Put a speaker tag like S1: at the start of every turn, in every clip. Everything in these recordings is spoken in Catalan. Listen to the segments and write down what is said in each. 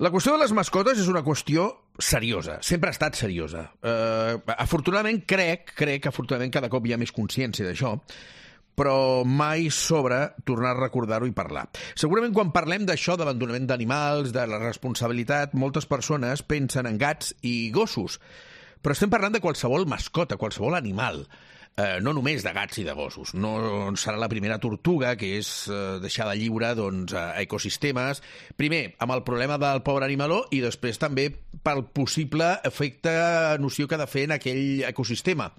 S1: La qüestió de les mascotes és una qüestió seriosa, sempre ha estat seriosa. Afortunadament, crec que afortunadament cada cop hi ha més consciència d'això, però mai sobra tornar a recordar-ho i parlar. Segurament quan parlem d'això, d'abandonament d'animals, de la responsabilitat, moltes persones pensen en gats i gossos, però estem parlant de qualsevol mascota, qualsevol animal. No només de gats i de gossos. No serà la primera tortuga, que és deixada lliure a ecosistemes, primer amb el problema del pobre animaló i després també pel possible efecte nociu que ha de fer en aquell ecosistema.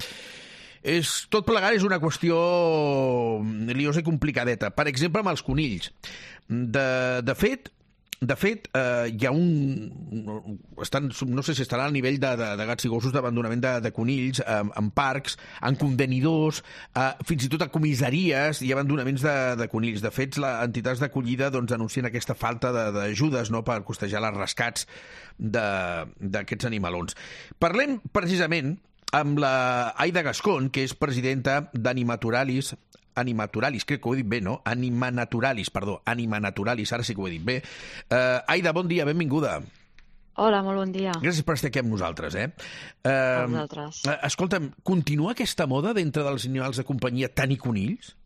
S1: Tot plegat és una qüestió liosa i complicadeta. Per exemple, amb els conills. De fet, hi ha no sé si estarà al nivell de gats i gossos d'abandonament de conills en parcs, en contenidors, fins i tot a comissaries i abandonaments de conills. De fet, les entitats d'acollida anuncien aquesta falta d'ajudes per costejar els rescats d'aquests animalons. Parlem precisament amb la Aida Gascón, que és presidenta d'Animaturalis, crec que ho he dit bé, no? Animanaturalis, ara sí que ho he dit bé. Aida, bon dia, benvinguda.
S2: Hola, molt bon dia.
S1: Gràcies per estar aquí amb nosaltres,
S2: A vosaltres.
S1: Escolta'm, continua aquesta moda dintre dels animals de companyia tenir conills?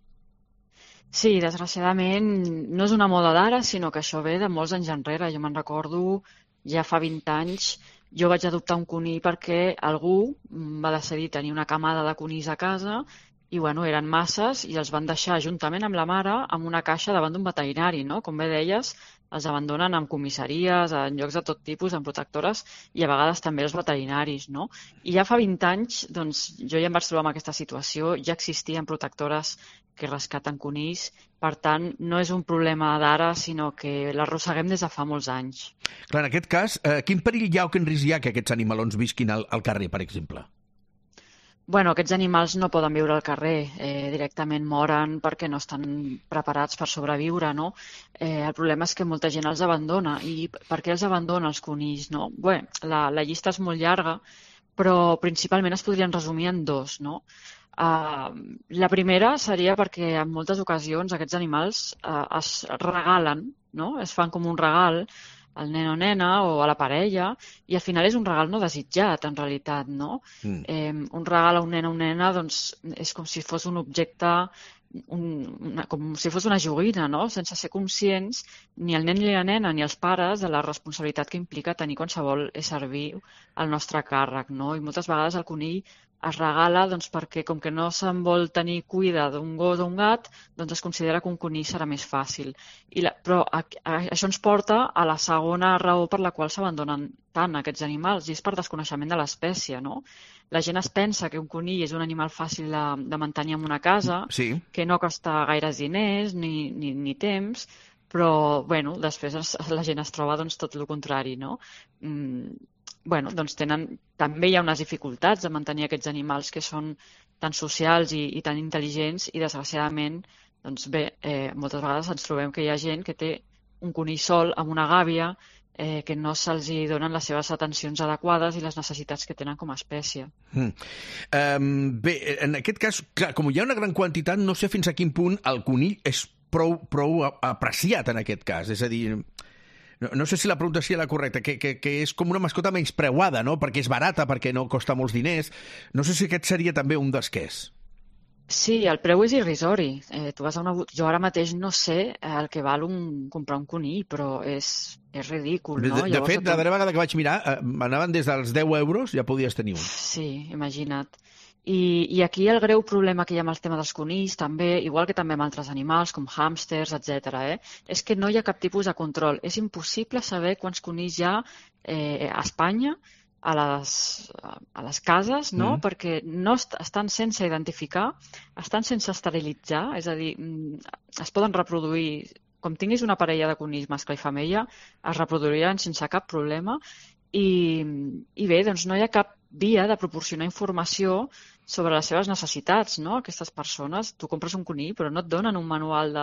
S2: Sí, desgraciadament no és una moda d'ara, sinó que això ve de molts anys enrere. Jo me'n recordo, ja fa 20 anys, jo vaig adoptar un conill perquè algú va decidir tenir una camada de conills a casa i eren masses i els van deixar juntament amb la mare en una caixa davant d'un veterinari, no? Com bé deies, els abandonen en comissaries, en llocs de tot tipus, en protectores i a vegades també els veterinaris, no? I ja fa 20 anys, jo ja em vaig trobar en aquesta situació, ja existien protectores que rescaten conills, per tant, no és un problema d'ara, sinó que l'arrosseguem des de fa molts anys.
S1: Clar, en aquest cas, quin perill hi ha o quin risc hi ha que aquests animalons visquin al carrer, per exemple?
S2: Aquests animals no poden viure al carrer, directament moren perquè no estan preparats per sobreviure, no? El problema és que molta gent els abandona. I per què els abandona els conills, no? Bé, la llista és molt llarga, però principalment es podrien resumir en dos, no? La primera seria perquè en moltes ocasions aquests animals es regalen, no? Es fan com un regal al nen o nena o a la parella, i al final és un regal no desitjat, en realitat, no? Un regal a un nen o una nena és com si fos un objecte, com si fos una joguina, no? Sense ser conscients, ni el nen ni la nena ni els pares, de la responsabilitat que implica tenir qualsevol ésser viu al nostre càrrec, no? I moltes vegades el conill es regala perquè, com que no se'n vol tenir cuida d'un gos o un gat, es considera que un conill serà més fàcil. Però això ens porta a la segona raó per la qual s'abandonen tant aquests animals, i és per desconeixement de l'espècie, no? La gent es pensa que un conill és un animal fàcil de mantenir en una casa,
S1: sí,
S2: que no costa gaires diners ni temps, però després la gent es troba tot el contrari, no? També hi ha unes dificultats de mantenir aquests animals que són tan socials i tan intel·ligents, i desgraciadament, moltes vegades ens trobem que hi ha gent que té un conill sol amb una gàbia, que no se'ls donen les seves atencions adequades i les necessitats que tenen com a espècie.
S1: Bé, en aquest cas, clar, com hi ha una gran quantitat, no sé fins a quin punt el conill és prou apreciat en aquest cas, és a dir... No sé si la pregunta seria la correcta, que és com una mascota menyspreuada, no? Perquè és barata, perquè no costa molts diners. No sé si aquest seria també un dels que és.
S2: Sí, el preu és irrisori. Jo ara mateix no sé el que val comprar un conill, però és ridícul, no?
S1: De fet, la darrera vegada que vaig mirar, anaven des dels 10 euros, ja podies tenir un.
S2: Sí, imagina't. I aquí el greu problema que hi ha amb el tema dels conills, també, igual que també amb altres animals, com hàmsters, etc., és que no hi ha cap tipus de control. És impossible saber quants conills hi ha a Espanya, a les cases, no? Perquè no estan sense identificar, estan sense esterilitzar, és a dir, es poden reproduir, com tinguis una parella de conills mascle i femella, es reproduiran sense cap problema, i bé, no hi ha cap via de proporcionar informació sobre les seves necessitats, no? Aquestes persones, tu compres un conill però no et donen un manual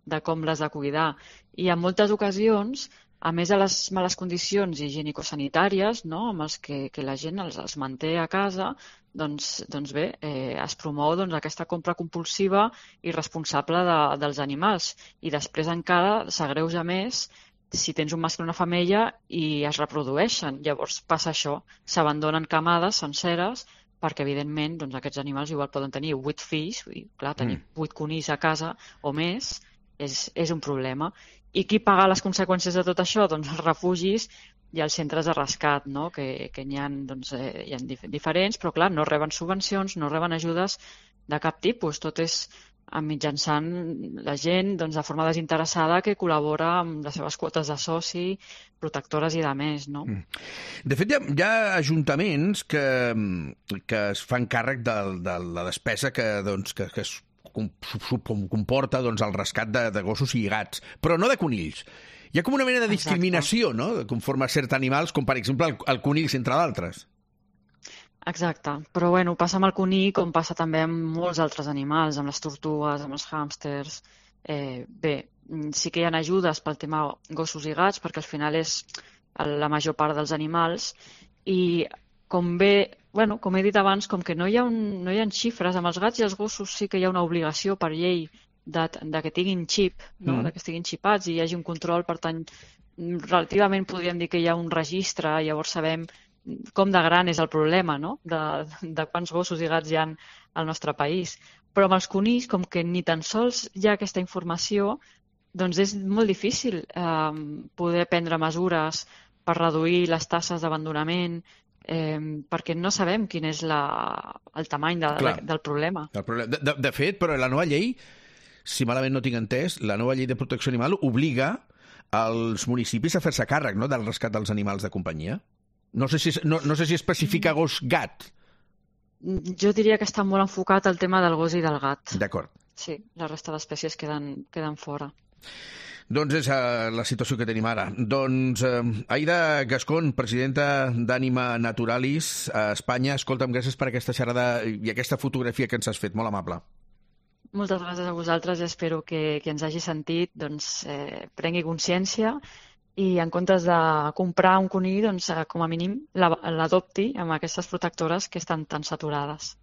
S2: de com l'has de cuidar, i en moltes ocasions, a més de les males condicions higienicosanitàries, no? Amb els que la gent els manté a casa, es promou aquesta compra compulsiva i irresponsable dels animals, i després encara s'agreuja més si tens un mascle i una femella i es reprodueixen. Llavors passa això, s'abandonen camades senceres perquè, evidentment, doncs, aquests animals igual poden tenir 8 fills, i clar, tenir 8 conills a casa o més és un problema. I qui paga les conseqüències de tot això? Doncs els refugis i els centres de rescat, no? que n'hi ha, doncs, hi ha diferents, però clar, no reben subvencions, no reben ajudes de cap tipus. Tot és mitjançant la gent, doncs, de forma desinteressada, que col·labora amb les seves quotes de soci, protectores i de més, no?
S1: De fet, hi ha ajuntaments que es fan càrrec de la despesa que es comporta, doncs, el rescat de gossos i gats, però no de conills. Hi ha com una mena de discriminació, no?, conforme a certs animals, com per exemple el conill, entre d'altres.
S2: Exacte, però bueno, passa amb el conill com passa també amb molts altres animals, amb les tortugues, amb els hàmsters. Bé, sí que hi ha ajudes pel tema gossos i gats, perquè al final és la major part dels animals, i com he dit abans, com que no hi ha xifres, amb els gats i els gossos sí que hi ha una obligació per llei de que tinguin xip, no? De que estiguin xipats i hi hagi un control. Per tant, relativament podríem dir que hi ha un registre, llavors sabem com de gran és el problema, no? De quants gossos i gats hi ha al nostre país. Però amb els conills, com que ni tan sols hi ha aquesta informació, doncs és molt difícil poder prendre mesures per reduir les taxes d'abandonament, perquè no sabem quin és el tamany del problema.
S1: De fet, però la nova llei, si malament no tinc entès, la nova llei de protecció animal obliga als municipis a fer-se càrrec, no?, del rescat dels animals de companyia. No sé si especifica gos-gat.
S2: Jo diria que està molt enfocat al tema del gos i del gat.
S1: D'acord.
S2: Sí, la resta d'espècies queden fora.
S1: Doncs és la situació que tenim ara. Doncs Aida Gascón, presidenta d'Ànima Naturalis a Espanya, escolta'm, gràcies per aquesta xerrada i aquesta fotografia que ens has fet, molt amable.
S2: Moltes gràcies a vosaltres, espero que ens hagi sentit, doncs, prengui consciència i en comptes de comprar un conill, doncs, com a mínim l'adopti amb aquestes protectores que estan tan saturades.